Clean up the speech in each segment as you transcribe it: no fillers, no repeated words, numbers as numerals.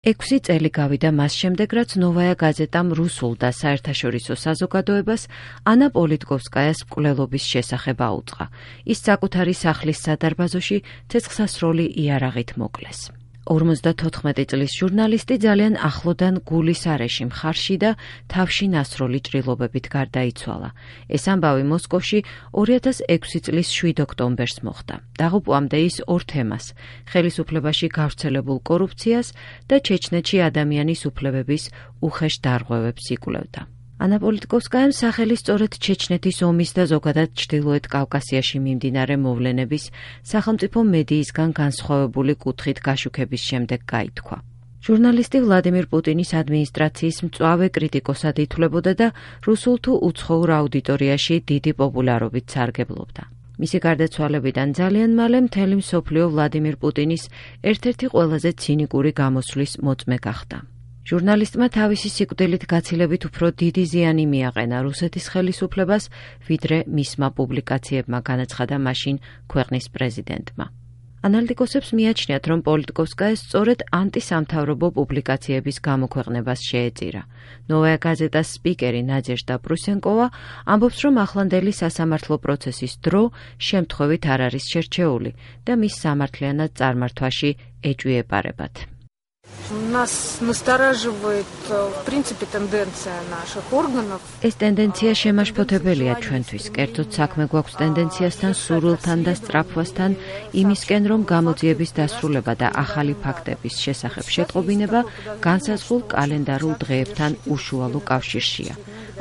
6 წელი გავიდა მას შემდეგ, რაც ნოვაია გაზეტამ რუსულ და საერთაშორისო საზოგადოებას ანა პოლიტკოვსკაიას მკვლელობის შესახებ აუწყა. ის საკუთარი სახლის სადარბაზოში ცეცხლსასროლი იარაღით მოკლეს. 54 წლის ჟურნალისტი ძალიან ახლოდან გულის არეში მხარში და თავში ნასროლი ჭრილობებით გარდაიცვალა. ეს ამბავი მოსკოვში 2006 წლის 7 ოქტომბერს მოხდა. დაღუპვამდე ის ორ თემას: ხელისუფლებაში გავრცელებულ კორუფციას და ჩეჩნეთში ადამიანის უფლებების უხეშ დარღვევებს იკვლევდა. ანა პოლიტკოვსკაიამ სახელი სწორედ ჩეჩნეთის ომის და ზოგადად ჩრდილოეთ კავკასიაში მიმდინარე მოვლენების სახელმწიფო მედიისგან განსხვავებული კუთხით გაშუქების შემდეგ გაითქვა. ჟურნალისტი ვლადიმირ პუტინის ადმინისტრაციის მწვავე კრიტიკოსად ითვლებოდა და რუსულ თუ უცხოურ აუდიტორიაში დიდი პოპულარობით სარგებლობდა. მისი გარდაცვალებიდან ძალიან მალე მთელი მსოფლიო ვლადიმირ პუტინის ერთ-ერთი ყველაზე ცინიკური გამოსვლის მოწმე გახდა. ჟურნალისტმა თავისი სიკვდილით გაცილებით უფრო დიდი ზიანი მიაყენა რუსეთის ხელისუფლებას, ვიდრე მისმა პუბლიკაციებმა, განაცხადა მაშინ ქვეყნის პრეზიდენტმა. ანალიტიკოსებს მიაჩნიათ, რომ პოლიტკოვსკაია სწორედ ანტისამთავრობო პუბლიკაციების გამოქვეყნებას შეეწირა. ნოვაია გაზეტას სპიკერი ნაძეჟდა პრუსენკოვა ამბობს, რომ ახლანდელი სასამართლო პროცესის დრო შემთხვევით არ არის შერჩეული და მის სამართლიანად წარმართვაში ეჭვი ეპარებათ. Нас настораживает, в принципе, тенденция наших органов. ეს ტენდენცია შემაშფოთებელია ჩვენთვის. კერძოდ საქმე გვაქვს ტენდენციასთან, სურვილთან და სწრაფვასთან იმისკენ, რომ გამოძიების დასრულება და ახალი ფაქტების შესახებ შეტყობინება განსაზღვრულ კალენდარულ დღეებთან უშუალო კავშირშია.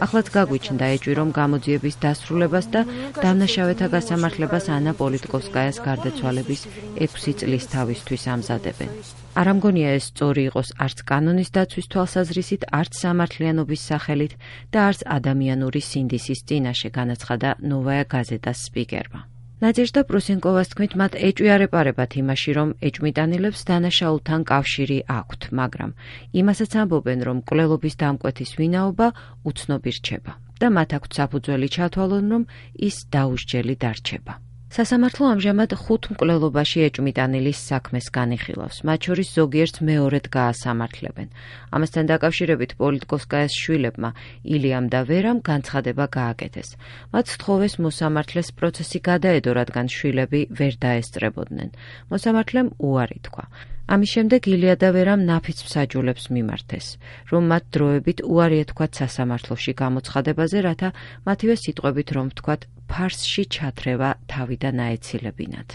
ახლაც გაგვიჩნდა ეჭვი, რომ გამოძიების დასრულებას და დამნაშავეთა გასამართლებას ანა პოლიტკოვსკაიას გარდაცვალების 6 წლის თავისთვის ამზადებენ. არ ამგონია ეს სწორი იყოს არც კანონის დაცვის თვალსაზრისით, არც სამართლიანობის სახელით და არც ადამიანური სინდისის წინაშე, განაცხადა ნოვაია გაზეტას სპიკერმა. ნაძეჟდა პრუსენკოვას თქმით, მათ ეჭვი არ ეპარებათ იმაში, რომ ეჭვმიტანილებს დანაშაულთან კავშირი აქვთ, მაგრამ იმასაც ამბობენ, რომ მკვლელობის დამკვეთის ვინაობა უცნობი რჩება და მათ აქვთ საფუძველი ჩათვალონ, რომ ის დაუსჯელი დარჩება. სასამართლო ამჟამად 5 მკვლელობაში ეჭვმიტანილის საქმეს განიხილავს, მათ შორის ზოგიერთს მეორედ გაასამართლებენ. ამასთან დაკავშირებით პოლიტკოვსკაიას შვილებმა ილიამ და ვერამ განცხადება გააკეთეს. მათ სთხოვეს მოსამართლეს პროცესი გადაედო, რადგან შვილები ვერ დაესწრებოდნენ. მოსამართლემ უარი თქვა. ამის შემდეგ ილია და ვერამ ნაფიც მსაჯულებს მიმართეს, რომ მათ დროებით უარი ეთქვათ სასამართლოში გამოცხადებაზე, რათა მათივე სიტყვებით რომ ვთქვათ, ფარსში ჩათრევა თავიდან აეცილებინათ.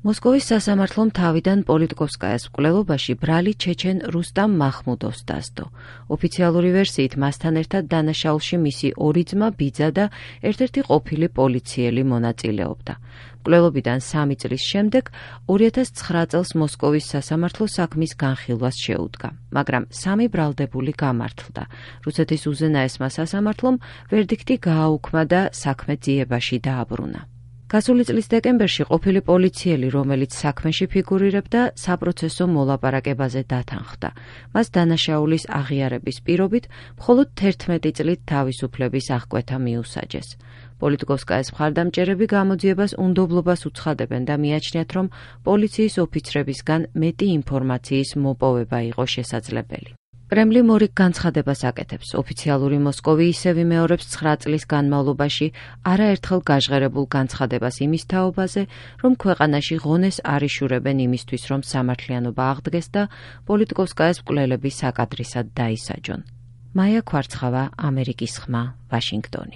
მოსკოვის სასამართლომ თავიდან პოლიტკოვსკაიას მკვლელობაში ბრალი ჩეჩენ რუსტამ მახმუდოვს დასდო. ოფიციალური ვერსიით მასთან ერთად დანაშაულში მისი ორი ძმა, ბიძა და ერთ-ერთი ყოფილი პოლიციელი მონაწილეობდა. მკვლელობიდან 3 წლის შემდეგ 2009 წელს მოსკოვის სასამართლო საქმის განხილვას შეუდგა, მაგრამ 3 ბრალდებული გამართლდა. რუსეთის უზენაესმა სასამართლომ ვერდიქტი გააუქმა და საქმე ძიებაში დააბრუნა. გასული წლის დეკემბერში ყოფილი პოლიციელი, რომელიც საქმეში ფიგურირებდა, საპროცესო მოლაპარაკებაზე დათანხმდა. მას დანაშაულის აღიარების პირობით მხოლოდ 11 წლით თავისუფლების აღკვეთა მიუსაჯეს. პოლიტკოვსკაიას მხარდამჭერები გამოძიებას უნდობლობას უცხადებენ და მიაჩნიათ, რომ პოლიციის ოფიცრებისგან მეტი ინფორმაციის მოპოვება იყო შესაძლებელი. კრემლი მორიგ განცხადებას აკეთებს. ოფიციალური მოსკოვი ისევ იმეორებს 9 წლის განმავლობაში არაერთხელ გაჟღერებულ განცხადებას იმის თაობაზე, რომ ქვეყანაში ღონეს არ იშურებენ იმისთვის, რომ სამართლიანობა აღდგეს და პოლიტკოვსკაიას მკვლელები საკადრისად დაისაჯონ. მაია ქვარცხავა, ამერიკის ხმა, ვაშინგტონი.